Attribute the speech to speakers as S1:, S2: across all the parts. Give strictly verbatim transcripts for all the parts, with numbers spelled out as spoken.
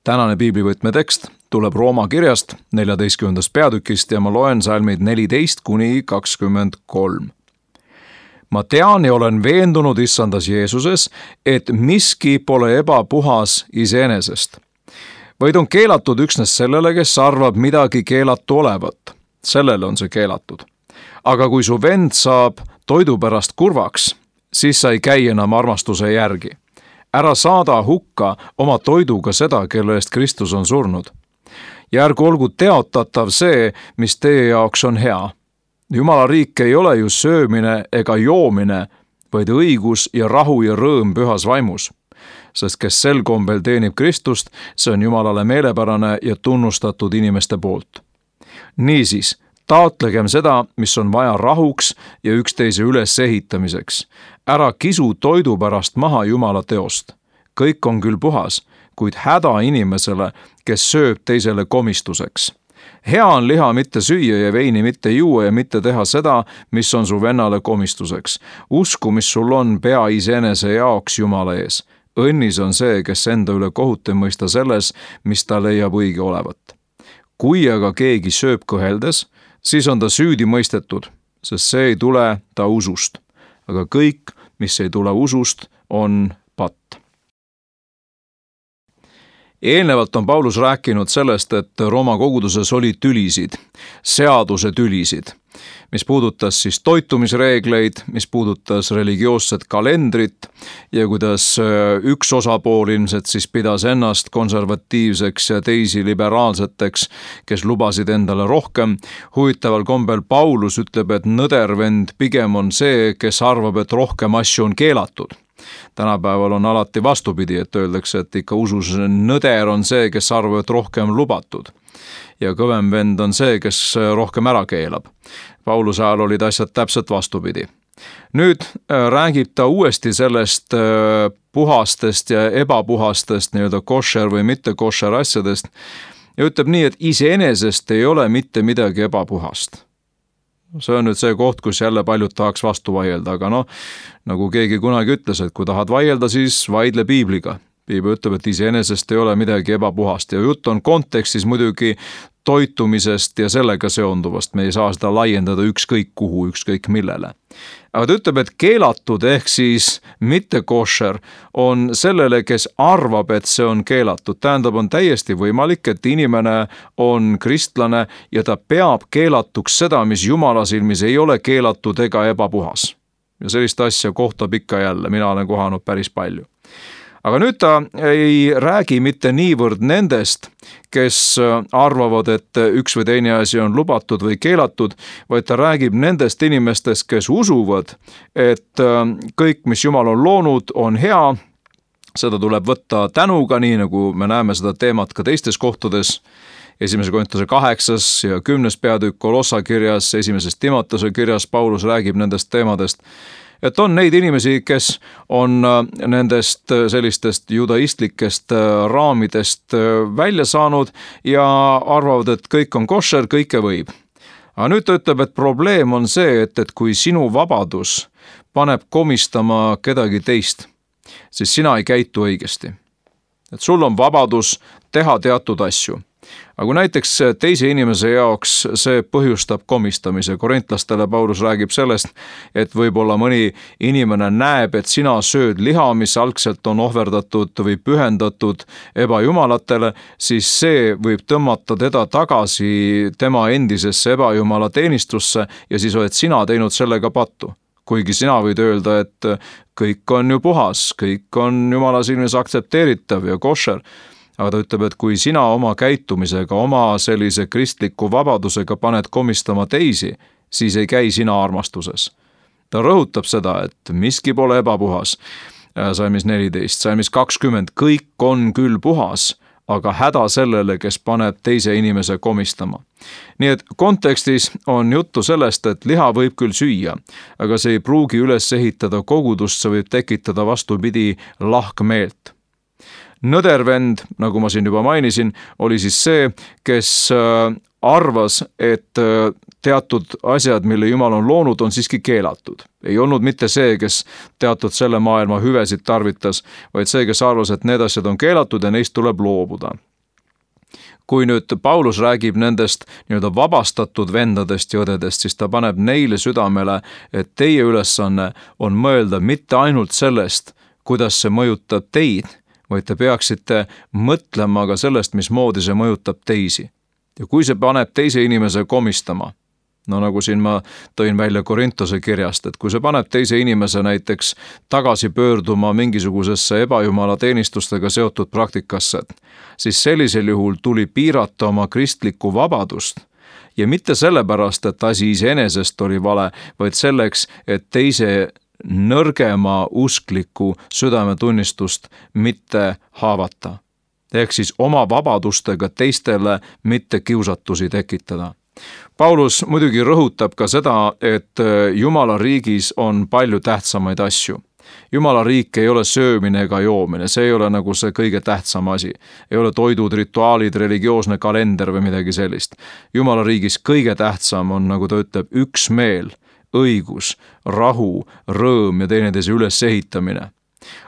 S1: Tänane piiblivõtme tekst tuleb Rooma kirjast neljateistkümnendast peatükist ja ma loen salmid neliteist kuni kakskümmend kolm. Ma tean ja olen veendunud issandas Jeesuses, et miski pole ebapuhas iseenesest, vaid on keelatud üksnes sellele, kes arvab midagi keelatu olevat. Sellele on see keelatud. Aga kui su vend saab toidu pärast kurvaks, siis sa ei käi enam armastuse järgi. Ära saada hukka oma toiduga seda, kelle eest Kristus on surnud. Ja ärgu olgu teotatav see, mis teie jaoks on hea. Jumala riik ei ole ju söömine ega joomine, vaid õigus ja rahu ja rõõm pühas vaimus. Sest kes sel kombel teenib Kristust, see on Jumalale meelepärane ja tunnustatud inimeste poolt. Niisiis, taotlegem seda, mis on vaja rahuks ja üksteise ülesehitamiseks. Ära kisu toidu pärast maha Jumala teost. Kõik on küll puhas, kuid häda inimesele, kes sööb teisele komistuseks. Hea on liha mitte süüa ja veini mitte juua ja mitte teha seda, mis on su vennale komistuseks. Usku, mis sul on, pea iseenese jaoks Jumala ees. Õnnis on see, kes enda üle kohut ei mõista selles, mis ta leiab õige olevat. Kui aga keegi sööb kõheldes, siis on ta süüdi mõistetud, sest see ei tule ta usust. Aga kõik, mis ei tule usust, on patt. Eelnevalt on Paulus rääkinud sellest, et Rooma koguduses oli tülisid, seaduse tülisid, mis puudutas siis toitumisreegleid, mis puudutas religioosset kalendrit ja kuidas üks osapool ilmselt siis pidas ennast konservatiivseks ja teisi liberaalseteks, kes lubasid endale rohkem. Huvitaval kombel Paulus ütleb, et nõdervend pigem on see, kes arvab, et rohkem asju on keelatud. Tänapäeval on alati vastupidi, et öeldakse, et ikka usus nõder on see, kes arvab, et rohkem lubatud. Ja kõvem vend on see, kes rohkem ära keelab. Pauluse ajal olid asjad täpselt vastupidi. Nüüd räägib ta uuesti sellest puhastest ja ebapuhastest, nii-öelda košer või mitte košer asjadest ja ütleb nii, et iseenesest ei ole mitte midagi ebapuhast. See on nüüd see koht, kus jälle paljud tahaks vastu vaielda, aga noh, nagu keegi kunagi ütles, et kui tahad vaielda, siis vaidle piibliga. Piibel ütleb, et iseenesest ei ole midagi ebapuhast ja jutt on kontekstis muidugi toitumisest ja sellega seonduvast. Me ei saa seda laiendada ükskõik kuhu, ükskõik millele. Aga ta ütleb, et keelatud ehk siis mitte košer on sellele, kes arvab, et see on keelatud. Tähendab, on täiesti võimalik, et inimene on kristlane ja ta peab keelatuks seda, mis Jumala silmis ei ole keelatud ega ebapuhas. Ja sellist asja kohtab ikka jälle, mina olen kohanud päris palju. Aga nüüd ta ei räägi mitte niivõrd nendest, kes arvavad, et üks või teine asi on lubatud või keelatud, vaid ta räägib nendest inimestest, kes usuvad, et kõik, mis Jumal on loonud, on hea. Seda tuleb võtta tänuga, nii nagu me näeme seda teemat ka teistes kohtades. Esimese Korintuse kaheksas ja kümnes peatükk Kolossa kirjas, esimeses Timotese kirjas Paulus räägib nendest teemadest. Et on neid inimesi, kes on nendest sellistest judaistlikest raamidest välja saanud ja arvavad, et kõik on košer, kõike võib. Aga nüüd ta ütleb, et probleem on see, et, et kui sinu vabadus paneb komistama kedagi teist, siis sina ei käitu õigesti. Et sul on vabadus teha teatud asju. Aga kui näiteks teise inimese jaoks see põhjustab komistamise, korintlastele Paulus räägib sellest, et võib-olla mõni inimene näeb, et sina sööd liha, mis algselt on ohverdatud või pühendatud ebajumalatele, siis see võib tõmmata teda tagasi tema endisesse ebajumala teenistusse ja siis oled sina teinud sellega pattu. Kuigi sina võid öelda, et kõik on ju puhas, kõik on Jumala silmis aktsepteeritav ja košer. Aga ta ütleb, et kui sina oma käitumisega, oma sellise kristliku vabadusega paned komistama teisi, siis ei käi sina armastuses. Ta rõhutab seda, et miski pole ebapuhas. Salmis neliteist, salmis kakskümmend, kõik on küll puhas, aga häda sellele, kes paneb teise inimese komistama. Nii et kontekstis on juttu sellest, et liha võib küll süüa, aga see ei pruugi üles ehitada kogudust, see võib tekitada vastupidi lahkmeelt. Nõdervend, nagu ma siin juba mainisin, oli siis see, kes arvas, et teatud asjad, mille Jumal on loonud, on siiski keelatud. Ei olnud mitte see, kes teatud selle maailma hüvesid tarvitas, vaid see, kes arvas, et need asjad on keelatud ja neist tuleb loobuda. kui nüüd Paulus räägib nendest nii-öelda vabastatud vendadest ja õdedest, siis ta paneb neile südamele, et teie ülesanne on mõelda mitte ainult sellest, kuidas see mõjutab teid, vaid te peaksite mõtlema ka sellest, mismoodi see mõjutab teisi. Ja kui see paneb teise inimese komistama, no nagu siin ma tõin välja Korintose kirjast, et kui see paneb teise inimese näiteks tagasi pöörduma mingisugusesse ebajumala teenistustega seotud praktikasse, siis sellisel juhul tuli piirata oma kristlikku vabadust ja mitte sellepärast, et asi iseenesest oli vale, vaid selleks, et teise nõrgema uskliku südametunnistust mitte haavata. Ehk siis oma vabadustega teistele mitte kiusatusi tekitada. Paulus muidugi rõhutab ka seda, et Jumala riigis on palju tähtsamaid asju. Jumala riik ei ole söömine ega joomine, see ei ole nagu see kõige tähtsam asi. Ei ole toidud, rituaalid, religioosne kalender või midagi sellist. Jumala riigis kõige tähtsam on, nagu ta ütleb, üksmeel, õigus, rahu, rõõm ja teineteise ülesehitamine.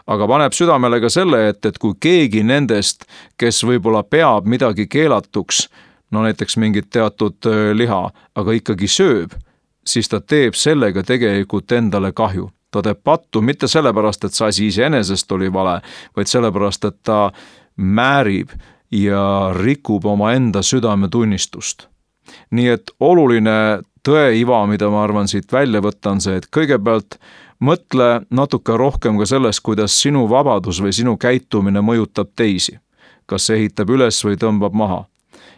S1: Aga paneb südamele ka selle, et, et kui keegi nendest, kes võib-olla peab midagi keelatuks, no näiteks mingit teatud liha, aga ikkagi sööb, siis ta teeb sellega tegelikult endale kahju. Ta teeb pattu mitte sellepärast, et see asi iseenesest oli vale, vaid sellepärast, et ta määrib ja rikub oma enda südametunnistust. Nii et oluline tõeiva, mida ma arvan siit välja võtta, on see, et kõigepealt mõtle natuke rohkem ka sellest, kuidas sinu vabadus või sinu käitumine mõjutab teisi. Kas see ehitab üles või tõmbab maha.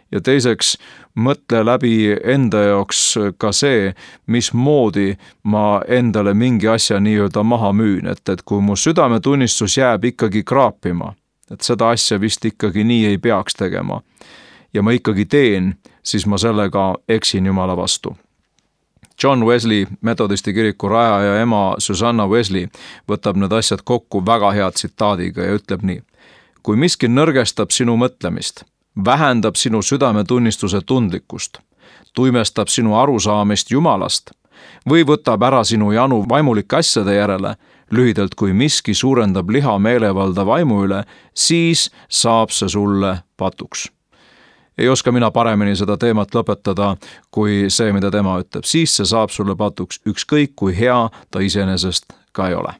S1: Ja teiseks, mõtle läbi enda jaoks ka see, mismoodi ma endale mingi asja nii-öelda maha müün, et, et kui mu südametunnistus jääb ikkagi kraapima, et seda asja vist ikkagi nii ei peaks tegema ja ma ikkagi teen, siis ma sellega eksin Jumala vastu. John Wesley, metodisti kiriku rajaja ja ema Susanna Wesley võtab need asjad kokku väga hea tsitaadiga ja ütleb nii: kui miski nõrgestab sinu mõtlemist, vähendab sinu südametunnistuse tundlikkust, tuimestab sinu arusaamist Jumalast või võtab ära sinu janu vaimulike asjade järele, lühidalt kui miski suurendab liha meelevalda vaimu üle, siis saab see sulle patuks. Ei oska mina paremini seda teemat lõpetada kui see, mida tema ütleb. Siis see saab sulle patuks, ükskõik kui hea ta iseenesest ka ei ole.